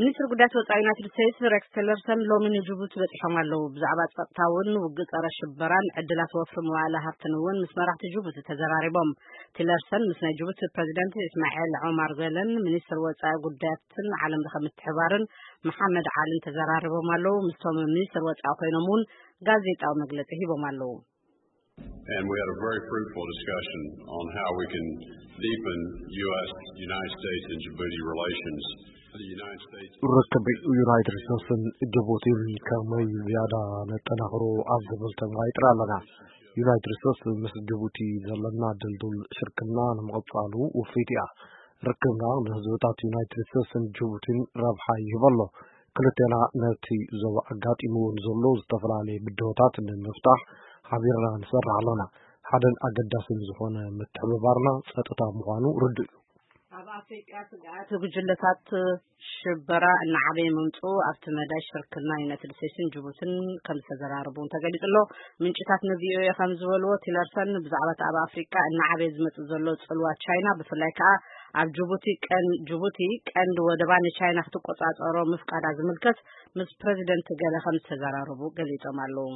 ሚኒስትሪ ጉዳያት ወፃኢ ዩናይትድ ስቴትስ ሬክስ ቲለርሰን ሎሚ ንጅቡቲ በፂሖም ኣለዉ። ብዛዕባ ጸጥታ እውን ውግእ ጸረ ሽበራን ዕድላት ወፍሪ መዋእለ ሃብትን እውን ምስ መራሕቲ ጅቡቲ ተዘራሪቦም። ቲለርሰን ምስ ናይ ጅቡቲ ፕሬዚደንት እስማኤል ዑማር ገለን ሚኒስትር ወፃኢ ጉዳያትን ዓለም ለኸ ምትሕባርን መሓመድ ዓልን ተዘራሪቦም ኣለዉ። ምስቶም ሚኒስትር ወፃኢ ኮይኖም እውን ጋዜጣዊ መግለፂ ሂቦም ኣለዉ። And we had a very fruitful discussion on how we can deepen U S United States and Djibouti relations. The United States ርክብ ዩናይትድ ስቴትስን ጅቡቲን ከመይ ዝያዳ ነጠናኽሮ ኣብ ዝብል ተመያይጥና ኣለና። ዩናይትድ ስቴትስ ምስ ጅቡቲ ዘለና ድልዱል ሽርክና ንምቕጻሉ ውፍይቲ እያ። ርክብና ንህዝብታት ዩናይትድ ስቴትስን ጅቡቲን ረብሓ ይህብ ኣሎ። ክልቴና ነቲ ዞባ ኣጋጢምዎ ንዘሎ ዝተፈላለየ ብድሆታት ንምፍታሕ ሓቢርና ንሰርሕ ኣለና። ሓደን ኣገዳስን ዝኾነ ምትሕብባርና ጸጥታ ምዃኑ ርዱእ እዩ። ኣብ ኣፍሪቃ ስግኣት ጉጅለታት ሽበራ እናዓበየ ምምፅኡ ኣብቲ መዳይ ሽርክና ዩናይትድ ስቴትስን ጅቡትን ከም ዝተዘራረቡ እውን ተገሊጹ ኣሎ። ምንጭታት ን ቪኦኤ ከም ዝበልዎ ቲለርሰን ብዛዕባ እቲ ኣብ ኣፍሪቃ እናዓበየ ዝመፅእ ዘሎ ፅልዋ ቻይና ብፍላይ ከዓ ኣብ ጅቡቲ ቀን ጅቡቲ ቀንዲ ወደባ ንቻይና ክትቆፃፀሮ ምፍቃዳ ዝምልከት ምስ ፕሬዚደንት ገለ ከም ዝተዘራረቡ ገሊፆም ኣለዉ።